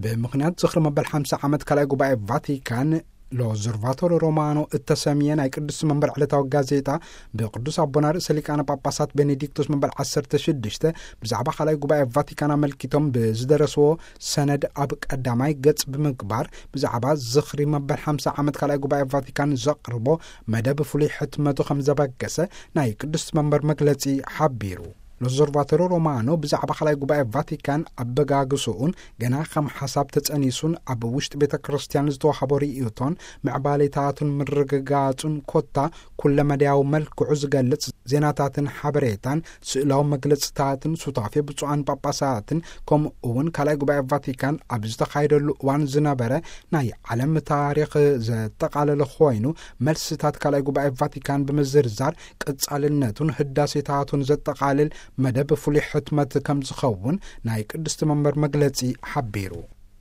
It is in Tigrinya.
ብምኽንያት ዝኽሪ መበል ሓምሳ ዓመት ካልኣይ ጉባኤ ቫቲካን፣ ሎዘርቫቶሮ ሮማኖ እተሰምየ ናይ ቅዱስ መንበር ዕለታዊ ጋዜጣ፣ ብቅዱስ ኣቦና ርእሰ ሊቃነ ጳጳሳት ቤኔዲክቶስ መበል ዓሰርተ ሽዱሽተ ብዛዕባ ካልኣይ ጉባኤ ቫቲካን ኣመልኪቶም ብዝደረስዎ ሰነድ ኣብ ቀዳማይ ገጽ ብምግባር፣ ብዛዕባ ዝኽሪ መበል ሓምሳ ዓመት ካልኣይ ጉባኤ ቫቲካን ዘቕርቦ መደብ ፍሉይ ሕትመቱ ከም ዘበገሰ ናይ ቅዱስ መንበር መግለጺ ሓቢሩ። ሎዘርቫቶሮ ሮማኖ ብዛዕባ ካልኣይ ጉባኤ ቫቲካን ኣበጋግስኡን ገና ከም ሓሳብ ተጸኒሱን ኣብ ውሽጢ ቤተ ክርስቲያን ዝተዋህቦ ርእይቶን ምዕባሌታቱን ምርግጋጹን ኮታ ኩለመዳያዊ መልክዑ ዝገልጽ ዜናታትን ሓበሬታን ስእላዊ መግለጽታትን ሱታፌ ብፁዓን ጳጳሳትን ከምኡ እውን ካልኣይ ጉባኤ ቫቲካን ኣብ ዝተኻየደሉ እዋን ዝነበረ ናይ ዓለም ታሪኽ ዘጠቓለለ ኮይኑ፣ መልስታት ካልኣይ ጉባኤ ቫቲካን ብምዝርዛር ቅጻልነቱን ህዳሴታቱን ዘጠቓልል መደብ ፍሉይ ሕትመት ከም ዝኸውን ናይ ቅድስቲ መንበር መግለጺ ሓቢሩ።